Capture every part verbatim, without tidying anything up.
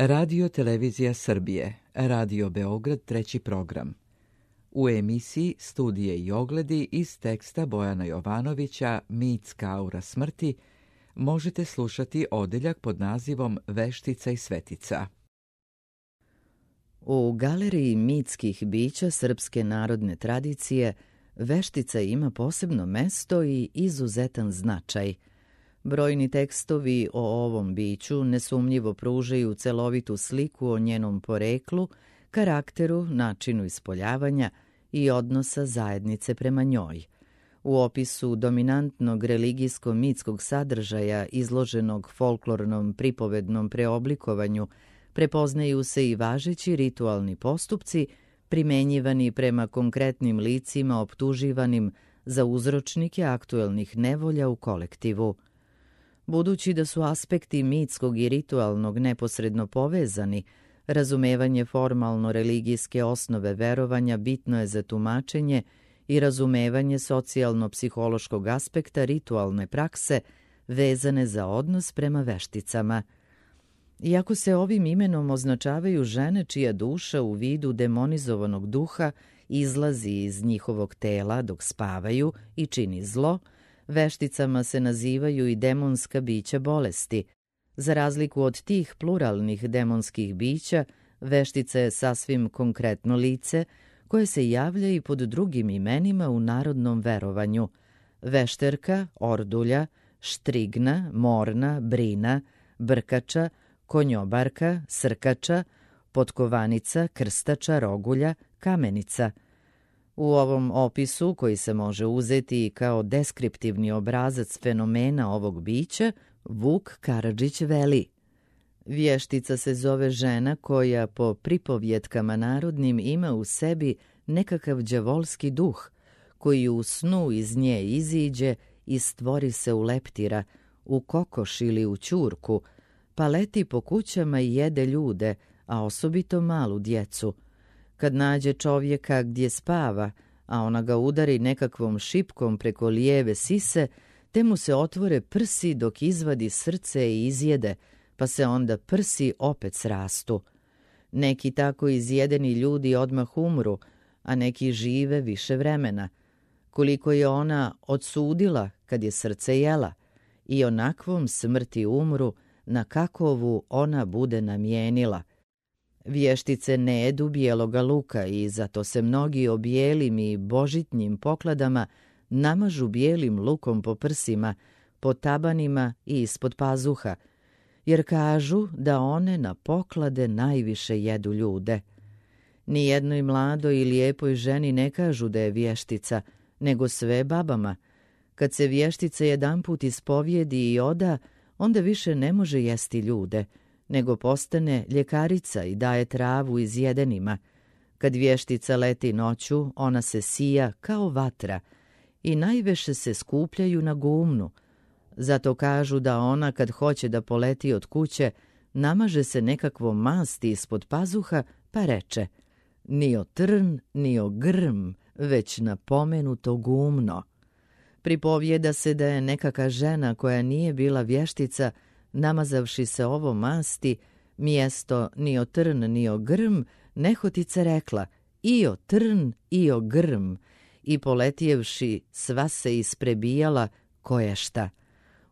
Radio Televizija Srbije, Radio Beograd, treći program. U emisiji Studije i ogledi iz teksta Bojana Jovanovića Mitska aura smrti možete slušati odeljak pod nazivom Veštica i svetica. U galeriji mitskih bića srpske narodne tradicije veštica ima posebno mesto i izuzetan značaj. Brojni tekstovi o ovom biću nesumnjivo pružaju celovitu sliku o njenom poreklu, karakteru, načinu ispoljavanja i odnosa zajednice prema njoj. U opisu dominantnog religijsko-mitskog sadržaja izloženog folklornom pripovednom preoblikovanju prepoznaju se i važeći ritualni postupci primenjivani prema konkretnim licima optuživanim za uzročnike aktuelnih nevolja u kolektivu. Budući da su aspekti mitskog i ritualnog neposredno povezani, razumevanje formalno-religijske osnove verovanja bitno je za tumačenje i razumevanje socijalno-psihološkog aspekta ritualne prakse vezane za odnos prema vešticama. Iako se ovim imenom označavaju žene čija duša u vidu demonizovanog duha izlazi iz njihovog tela dok spavaju i čini zlo, vešticama se nazivaju i demonska bića bolesti. Za razliku od tih pluralnih demonskih bića, veštica je sasvim konkretno lice koje se javlja i pod drugim imenima u narodnom verovanju: vešterka, ordulja, štrigna, morna, brina, brkača, konjobarka, srkača, potkovanica, krstača, rogulja, kamenica. U ovom opisu, koji se može uzeti kao deskriptivni obrazac fenomena ovog bića, Vuk Karadžić veli: vještica se zove žena koja po pripovjetkama narodnim ima u sebi nekakav đavolski duh, koji u snu iz nje iziđe i stvori se u leptira, u kokoš ili u ćurku, pa leti po kućama i jede ljude, a osobito malu djecu. Kad nađe čovjeka gdje spava, a ona ga udari nekakvom šipkom preko lijeve sise, te mu se otvore prsi dok izvadi srce i izjede, pa se onda prsi opet srastu. Neki tako izjedeni ljudi odmah umru, a neki žive više vremena. Koliko je ona odsudila kad je srce jela, i onakvom smrti umru, na kakovu ona bude namijenila. Vještice ne jedu bijeloga luka i zato se mnogi obijelim i božitnjim pokladama namažu bijelim lukom po prsima, po tabanima i ispod pazuha, jer kažu da one na poklade najviše jedu ljude. Nijednoj mladoj i lijepoj ženi ne kažu da je vještica, nego sve babama. Kad se vještica jedanput ispovjedi i oda, onda više ne može jesti ljude, nego postane ljekarica i daje travu izjedenima. Kad vještica leti noću, ona se sija kao vatra i najviše se skupljaju na gumnu. Zato kažu da ona kad hoće da poleti od kuće, namaže se nekakvom masti ispod pazuha, pa reče: ni o trn, ni o grm, već napomenuto gumno. Pripovjeda se da je nekaka žena koja nije bila vještica, namazavši se ovo masti, mjesto ni o trn ni o grm, nehotice rekla: i o trn i o grm, i poletjevši sva se isprebijala koješta.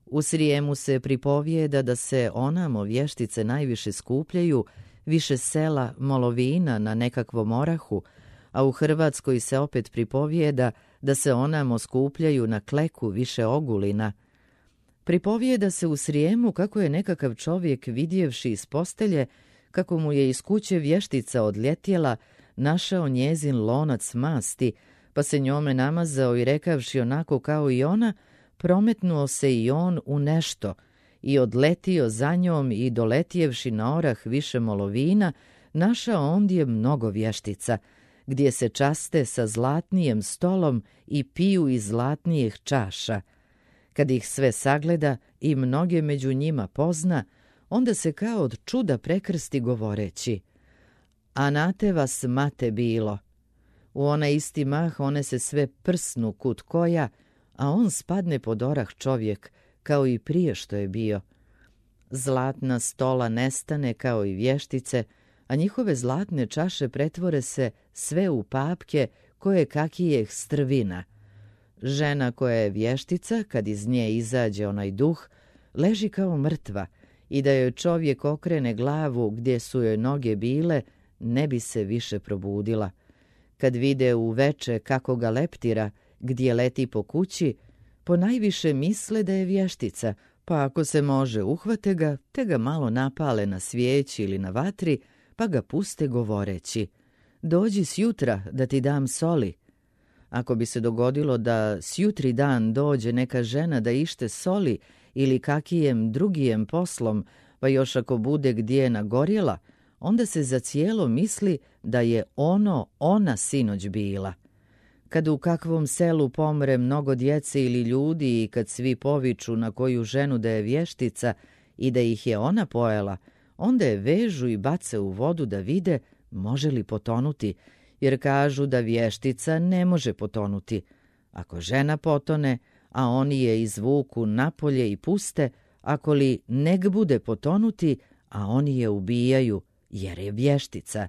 U Srijemu se pripovjeda da se onamo vještice najviše skupljaju, više sela molovina na nekakvom orahu, a u Hrvatskoj se opet pripovjeda da se onamo skupljaju na kleku više ogulina. Pripovjeda se u Srijemu kako je nekakav čovjek vidjevši iz postelje, kako mu je iz kuće vještica odljetjela, našao njezin lonac masti, pa se njome namazao i rekavši onako kao i ona, prometnuo se i on u nešto i odletio za njom i doletjevši na orah više molovina, našao ondje mnogo vještica, gdje se časte sa zlatnijem stolom i piju iz zlatnijih čaša. Kad ih sve sagleda i mnoge među njima pozna, onda se kao od čuda prekrsti govoreći: a na te vas mate bilo. U onaj isti mah one se sve prsnu kut koja, a on spadne pod orah čovjek, kao i prije što je bio. Zlatna stola nestane kao i vještice, a njihove zlatne čaše pretvore se sve u papke koje kakijeh strvina. Žena koja je vještica, kad iz nje izađe onaj duh, leži kao mrtva i da joj čovjek okrene glavu gdje su joj noge bile, ne bi se više probudila. Kad vide uveče kako ga leptira, gdje leti po kući, ponajviše misle da je vještica, pa ako se može uhvate ga, te ga malo napale na svijeći ili na vatri, pa ga puste govoreći: dođi sjutra da ti dam soli. Ako bi se dogodilo da sjutri dan dođe neka žena da ište soli ili kakijem drugijem poslom, pa još ako bude gdje nagorjela, onda se za cijelo misli da je ono ona sinoć bila. Kad u kakvom selu pomre mnogo djece ili ljudi i kad svi poviču na koju ženu da je vještica i da ih je ona pojela, onda je vežu i bace u vodu da vide može li potonuti, jer kažu da vještica ne može potonuti. Ako žena potone, a oni je izvuku napolje i puste, ako li nek bude potonuti, a oni je ubijaju, jer je vještica.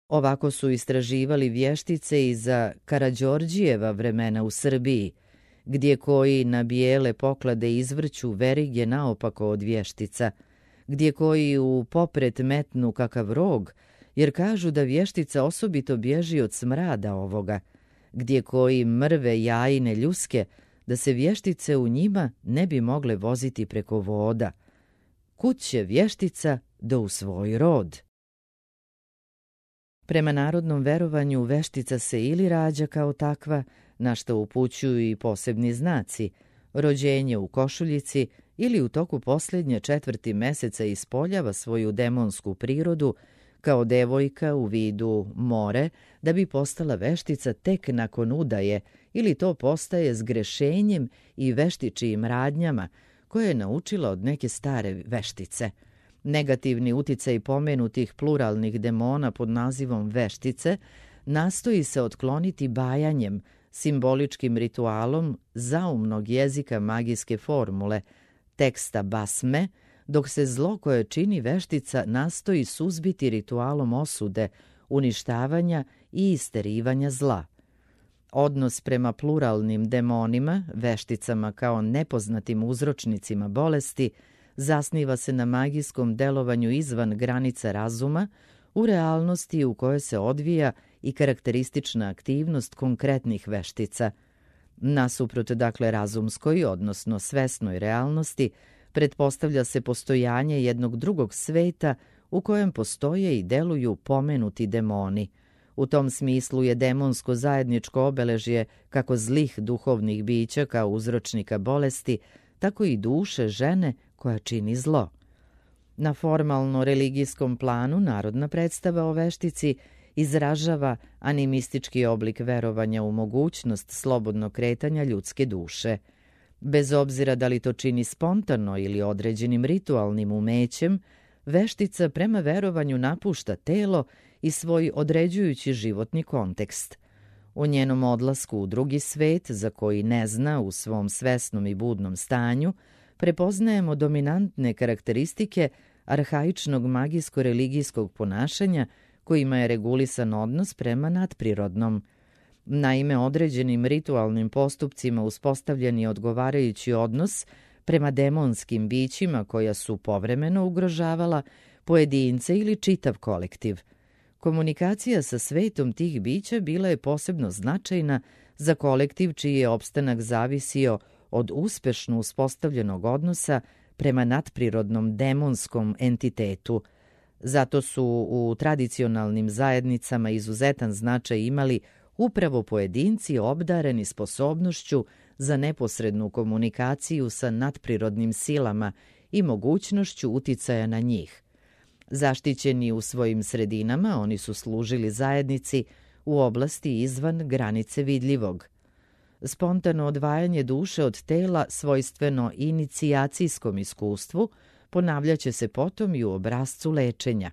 Ovako su istraživali vještice i za Karađorđijeva vremena u Srbiji, gdje koji na bijele poklade izvrću verige naopako od vještica, gdje koji u popret metnu kakav rog, jer kažu da vještica osobito bježi od smrada ovoga, gdje koji mrve jajine ljuske, da se vještice u njima ne bi mogle voziti preko voda. Kud će vještica do u svoj rod? Prema narodnom verovanju veštica se ili rađa kao takva, na što upućuju i posebni znaci, rođenje u košuljici ili u toku posljednje četvrti meseca ispoljava svoju demonsku prirodu kao devojka u vidu more, da bi postala veštica tek nakon udaje ili to postaje zgrešenjem i veštičijim radnjama koje je naučila od neke stare veštice. Negativni uticaj pomenutih pluralnih demona pod nazivom veštice nastoji se otkloniti bajanjem, simboličkim ritualom zaumnog jezika magijske formule, teksta basme, dok se zlo koje čini veštica nastoji suzbiti ritualom osude, uništavanja i isterivanja zla. Odnos prema pluralnim demonima, vešticama kao nepoznatim uzročnicima bolesti, zasniva se na magijskom delovanju izvan granica razuma, u realnosti u kojoj se odvija i karakteristična aktivnost konkretnih veštica. Nasuprot dakle razumskoj, odnosno svesnoj realnosti, pretpostavlja se postojanje jednog drugog sveta u kojem postoje i deluju pomenuti demoni. U tom smislu je demonsko zajedničko obeležje kako zlih duhovnih bića kao uzročnika bolesti, tako i duše žene koja čini zlo. Na formalno-religijskom planu narodna predstava o veštici izražava animistički oblik verovanja u mogućnost slobodnog kretanja ljudske duše. Bez obzira da li to čini spontano ili određenim ritualnim umećem, veštica prema verovanju napušta telo i svoj određujući životni kontekst. U njenom odlasku u drugi svet, za koji ne zna u svom svesnom i budnom stanju, prepoznajemo dominantne karakteristike arhaičnog magijsko-religijskog ponašanja kojima je regulisan odnos prema nadprirodnom. Naime, određenim ritualnim postupcima uspostavljen je odgovarajući odnos prema demonskim bićima koja su povremeno ugrožavala pojedince ili čitav kolektiv. Komunikacija sa svetom tih bića bila je posebno značajna za kolektiv čiji je opstanak zavisio od uspešno uspostavljenog odnosa prema nadprirodnom demonskom entitetu. Zato su u tradicionalnim zajednicama izuzetan značaj imali upravo pojedinci obdareni sposobnošću za neposrednu komunikaciju sa nadprirodnim silama i mogućnošću uticaja na njih. Zaštićeni u svojim sredinama, oni su služili zajednici u oblasti izvan granice vidljivog. Spontano odvajanje duše od tela svojstveno inicijacijskom iskustvu ponavljaće se potom i u obrascu lečenja.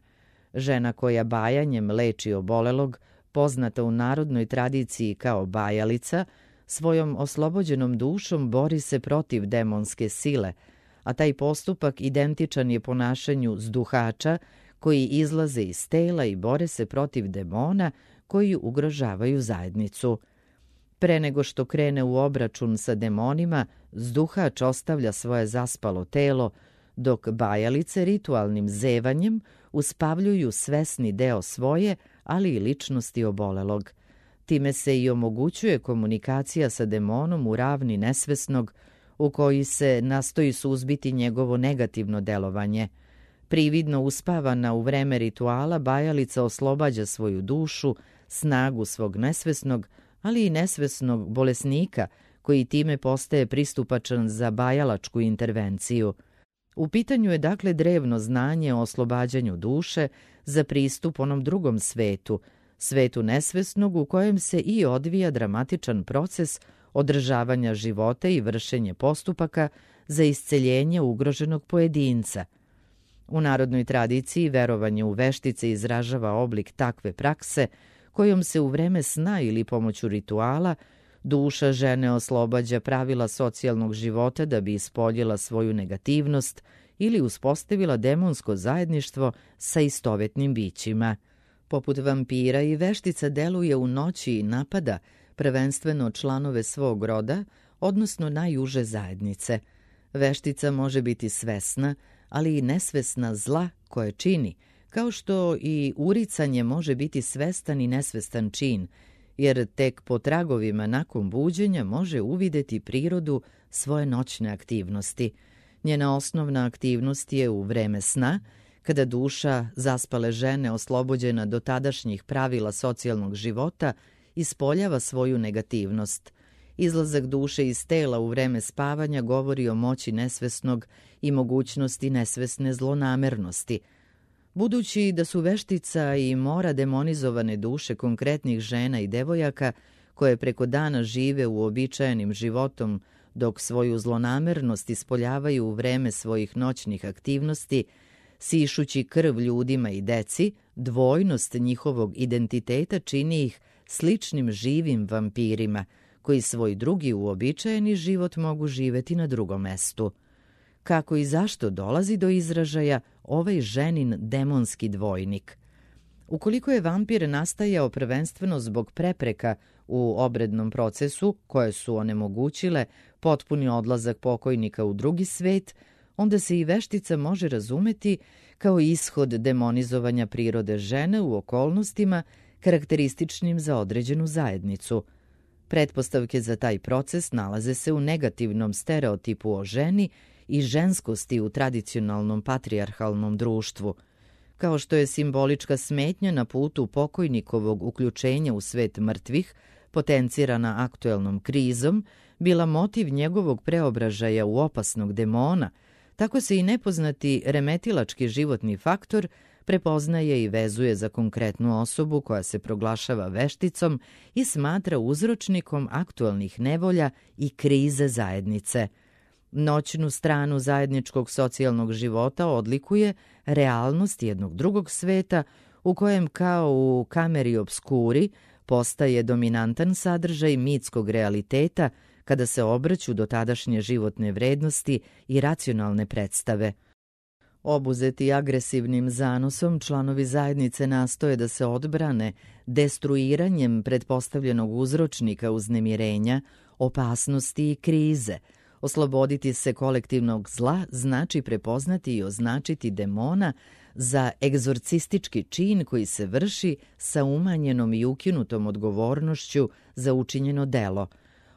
Žena koja bajanjem leči obolelog, poznata u narodnoj tradiciji kao bajalica, svojom oslobođenom dušom bori se protiv demonske sile, a taj postupak identičan je ponašanju zduhača koji izlaze iz tela i bore se protiv demona koji ugrožavaju zajednicu. Pre nego što krene u obračun sa demonima, zduhač ostavlja svoje zaspalo telo, dok bajalice ritualnim zevanjem uspavljuju svesni deo svoje, ali i ličnosti obolelog. Time se i omogućuje komunikacija sa demonom u ravni nesvesnog, u koji se nastoji suzbiti njegovo negativno delovanje. Prividno uspavana u vreme rituala, bajalica oslobađa svoju dušu, snagu svog nesvesnog, ali i nesvesnog bolesnika, koji time postaje pristupačan za bajalačku intervenciju. U pitanju je dakle drevno znanje o oslobađanju duše za pristup onom drugom svetu, svetu nesvesnog u kojem se i odvija dramatičan proces održavanja života i vršenje postupaka za isceljenje ugroženog pojedinca. U narodnoj tradiciji verovanje u veštice izražava oblik takve prakse kojom se u vreme sna ili pomoću rituala duša žene oslobađa pravila socijalnog života da bi ispoljila svoju negativnost ili uspostavila demonsko zajedništvo sa istovetnim bićima. Poput vampira i veštica deluje u noći i napada prvenstveno članove svog roda, odnosno najuže zajednice. Veštica može biti svesna, ali i nesvesna zla koje čini, kao što i uricanje može biti svestan i nesvestan čin, jer tek po tragovima nakon buđenja može uvideti prirodu svoje noćne aktivnosti. Njena osnovna aktivnost je u vreme sna, kada duša zaspale žene oslobođena do tadašnjih pravila socijalnog života ispoljava svoju negativnost. Izlazak duše iz tela u vreme spavanja govori o moći nesvesnog i mogućnosti nesvesne zlonamernosti. Budući da su veštica i mora demonizovane duše konkretnih žena i devojaka koje preko dana žive uobičajenim životom dok svoju zlonamernost ispoljavaju u vreme svojih noćnih aktivnosti, sišući krv ljudima i deci, dvojnost njihovog identiteta čini ih sličnim živim vampirima, koji svoj drugi uobičajeni život mogu živeti na drugom mestu. Kako i zašto dolazi do izražaja ovaj ženin demonski dvojnik? Ukoliko je vampir nastajao prvenstveno zbog prepreka u obrednom procesu koje su onemogućile potpuni odlazak pokojnika u drugi svet, onda se i veštica može razumeti kao ishod demonizovanja prirode žene u okolnostima karakterističnim za određenu zajednicu. Pretpostavke za taj proces nalaze se u negativnom stereotipu o ženi i ženskosti u tradicionalnom patrijarhalnom društvu. Kao što je simbolička smetnja na putu pokojnikovog uključenja u svet mrtvih, potencirana aktuelnom krizom, bila motiv njegovog preobražaja u opasnog demona, tako se i nepoznati remetilački životni faktor prepoznaje i vezuje za konkretnu osobu koja se proglašava vešticom i smatra uzročnikom aktuelnih nevolja i krize zajednice. Noćnu stranu zajedničkog socijalnog života odlikuje realnost jednog drugog sveta u kojem kao u kameri obskuri postaje dominantan sadržaj mitskog realiteta kada se obraću do tadašnje životne vrednosti i racionalne predstave. Obuzeti agresivnim zanosom, članovi zajednice nastoje da se odbrane destruiranjem pretpostavljenog uzročnika uznemirenja, opasnosti i krize. Osloboditi se kolektivnog zla znači prepoznati i označiti demona za egzorcistički čin koji se vrši sa umanjenom i ukinutom odgovornošću za učinjeno delo.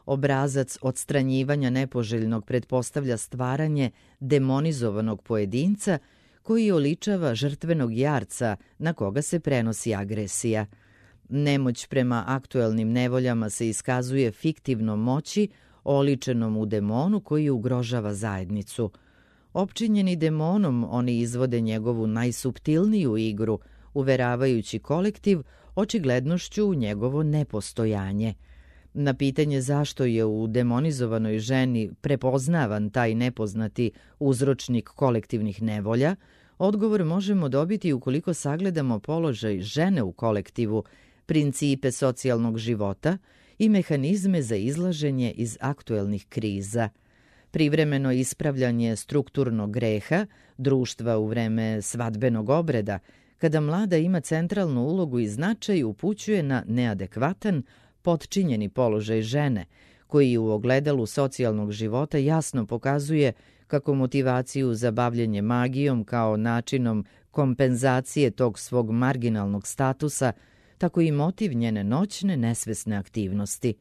Obrazac odstranjivanja nepoželjnog pretpostavlja stvaranje demonizovanog pojedinca koji oličava žrtvenog jarca na koga se prenosi agresija. Nemoć prema aktuelnim nevoljama se iskazuje fiktivnom moći oličenom u demonu koji ugrožava zajednicu. Opčinjeni demonom, oni izvode njegovu najsuptilniju igru, uveravajući kolektiv očiglednošću u njegovo nepostojanje. Na pitanje zašto je u demonizovanoj ženi prepoznavan taj nepoznati uzročnik kolektivnih nevolja, odgovor možemo dobiti ukoliko sagledamo položaj žene u kolektivu, principe socijalnog života i mehanizme za izlaženje iz aktuelnih kriza. privremeno ispravljanje strukturnog greha društva u vreme svadbenog obreda, kada mlada ima centralnu ulogu i značaj, upućuje na neadekvatan, potčinjeni položaj žene, koji u ogledalu socijalnog života jasno pokazuje kako motivaciju za bavljenje magijom kao načinom kompenzacije tog svog marginalnog statusa, tako i motiv njene noćne nesvesne aktivnosti.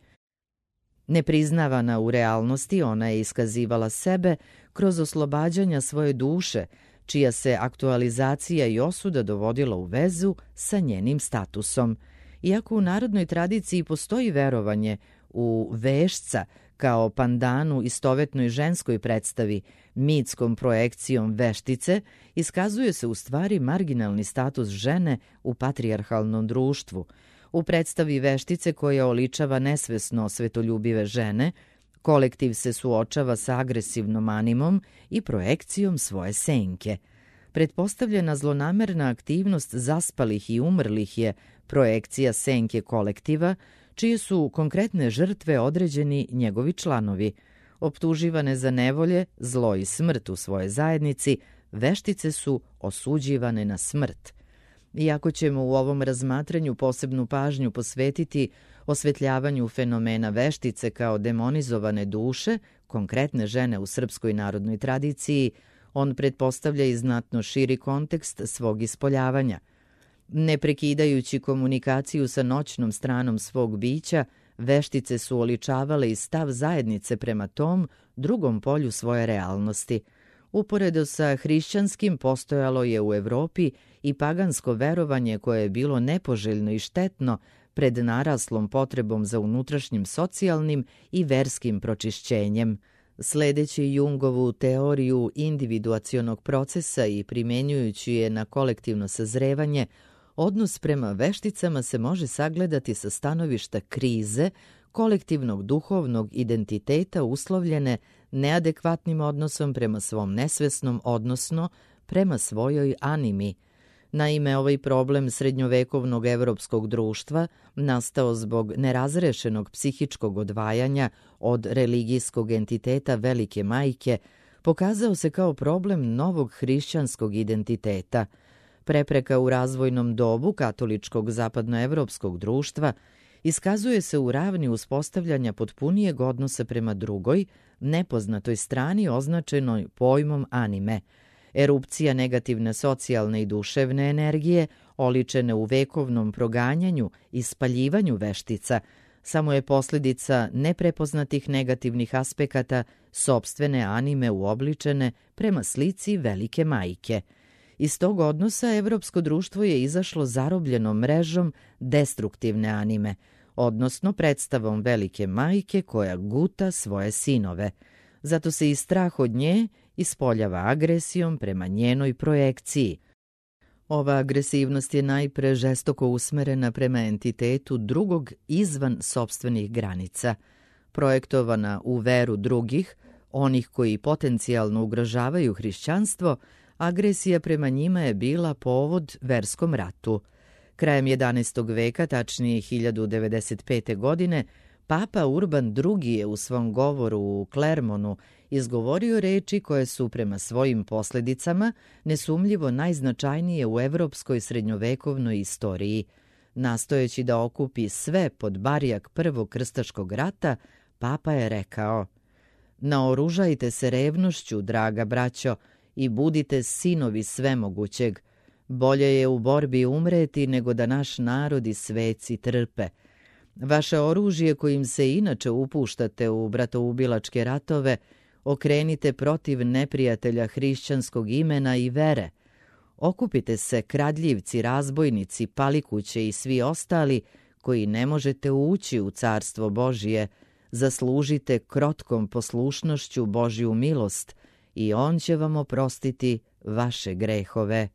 Nepriznavana u realnosti, ona je iskazivala sebe kroz oslobađanja svoje duše, čija se aktualizacija i osuda dovodila u vezu sa njenim statusom. Iako u narodnoj tradiciji postoji verovanje u vešca kao pandanu istovetnoj ženskoj predstavi, mitskom projekcijom veštice, iskazuje se u stvari marginalni status žene u patrijarhalnom društvu. U predstavi veštice koja oličava nesvesno svetoljubive žene, kolektiv se suočava sa agresivnom animom i projekcijom svoje senke. Pretpostavljena zlonamerna aktivnost zaspalih i umrlih je projekcija senke kolektiva, čije su konkretne žrtve određeni njegovi članovi. Optuživane za nevolje, zlo i smrt u svojoj zajednici, veštice su osuđivane na smrt. Iako ćemo u ovom razmatranju posebnu pažnju posvetiti osvetljavanju fenomena veštice kao demonizovane duše, konkretne žene u srpskoj narodnoj tradiciji, on pretpostavlja i znatno širi kontekst svog ispoljavanja. Ne prekidajući komunikaciju sa noćnom stranom svog bića, veštice su oličavale i stav zajednice prema tom drugom polju svoje realnosti. Uporedo sa hrišćanskim postojalo je u Evropi i pagansko verovanje koje je bilo nepoželjno i štetno pred naraslom potrebom za unutrašnjim socijalnim i verskim pročišćenjem. Sledeći Jungovu teoriju individuacionog procesa i primenjujući je na kolektivno sazrevanje, odnos prema vešticama se može sagledati sa stanovišta krize, kolektivnog duhovnog identiteta uslovljene neadekvatnim odnosom prema svom nesvesnom, odnosno prema svojoj animi. Naime, ovaj problem srednjovekovnog evropskog društva, nastao zbog nerazrešenog psihičkog odvajanja od religijskog entiteta Velike Majke, pokazao se kao problem novog hrišćanskog identiteta. Prepreka u razvojnom dobu katoličkog zapadnoevropskog društva iskazuje se u ravni uspostavljanja potpunijeg odnosa prema drugoj, nepoznatoj strani označenoj pojmom anime. Erupcija negativne socijalne i duševne energije, oličene u vekovnom proganjanju i spaljivanju veštica, samo je posljedica neprepoznatih negativnih aspekata sopstvene anime uobličene prema slici Velike Majke. Iz tog odnosa evropsko društvo je izašlo zarobljenom mrežom destruktivne anime, odnosno predstavom Velike Majke koja guta svoje sinove. Zato se i strah od nje ispoljava agresijom prema njenoj projekciji. Ova agresivnost je najpre žestoko usmerena prema entitetu drugog izvan sopstvenih granica. Projektovana u veru drugih, onih koji potencijalno ugrožavaju hrišćanstvo, agresija prema njima je bila povod verskom ratu. Krajem jedanaestog veka, tačnije hiljadu devedeset pete. godine, Papa Urban drugi. je u svom govoru u Klermonu izgovorio reči koje su prema svojim posljedicama nesumljivo najznačajnije u evropskoj srednjovekovnoj istoriji. Nastojeći da okupi sve pod barjak Prvog krstaškog rata, Papa je rekao: "Naoružajte se revnošću, draga braćo, i budite sinovi svemogućeg. Bolje je u borbi umreti nego da naš narod i sveci trpe. Vaše oružje kojim se inače upuštate u bratoubilačke ratove okrenite protiv neprijatelja hrišćanskog imena i vere. Okupite se, kradljivci, razbojnici, palikuće i svi ostali koji ne možete ući u carstvo Božije. Zaslužite krotkom poslušnošću Božju milost i On će vam oprostiti vaše grehove."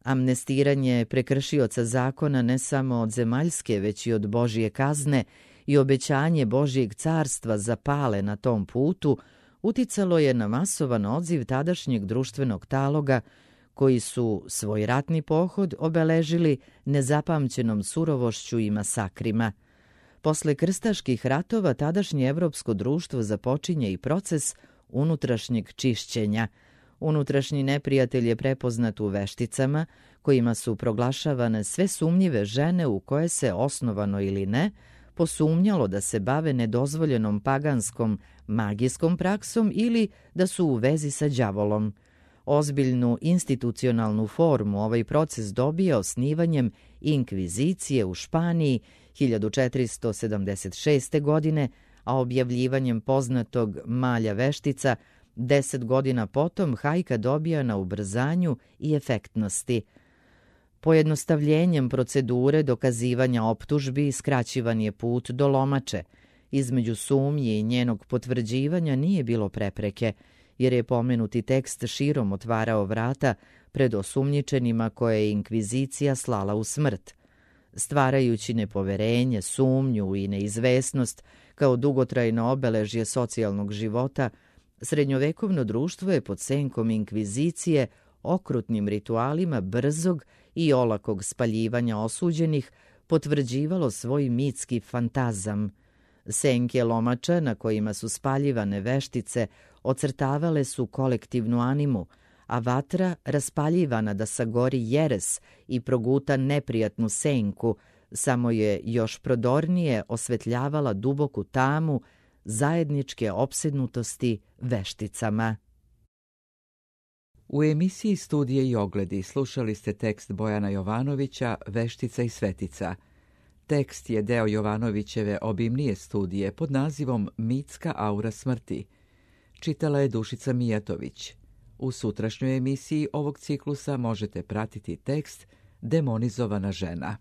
Amnestiranje prekršioca zakona ne samo od zemaljske, već i od Božje kazne i obećanje Božjeg carstva za pale na tom putu uticalo je na masovan odziv tadašnjeg društvenog taloga, koji su svoj ratni pohod obeležili nezapamćenom surovošću i masakrima. Posle krstaških ratova tadašnje evropsko društvo započinje i proces unutrašnjeg čišćenja. Unutrašnji neprijatelj je prepoznat u vešticama, kojima su proglašavane sve sumnjive žene u koje se, osnovano ili ne, posumnjalo da se bave nedozvoljenom paganskom magijskom praksom ili da su u vezi sa đavolom. Ozbiljnu institucionalnu formu ovaj proces dobija osnivanjem inkvizicije u Španiji hiljadu četiristo sedamdeset šeste. godine, a objavljivanjem poznatog Malja veštica deset godina potom hajka dobija na ubrzanju i efektnosti. Pojednostavljenjem procedure dokazivanja optužbi skraćivan je put do lomače. Između sumnje i njenog potvrđivanja nije bilo prepreke, jer je pomenuti tekst širom otvarao vrata pred osumnjičenima koje je inkvizicija slala u smrt. Stvarajući nepoverenje, sumnju i neizvesnost kao dugotrajno obeležje socijalnog života, srednjovekovno društvo je pod senkom inkvizicije okrutnim ritualima brzog i olakog spaljivanja osuđenih potvrđivalo svoj mitski fantazam. Senke lomača na kojima su spaljivane veštice ocrtavale su kolektivnu animu, a vatra raspaljivana da sagori jeres i proguta neprijatnu senku, samo je još prodornije osvetljavala duboku tamu zajedničke opsednutosti vešticama. U emisiji Studije i ogledi slušali ste tekst Bojana Jovanovića Veštica i svetica. Tekst je deo Jovanovićeve obimnije studije pod nazivom Mitska aura smrti. Čitala je Dušica Mijatović. U sutrašnjoj emisiji ovog ciklusa možete pratiti tekst Demonizovana žena.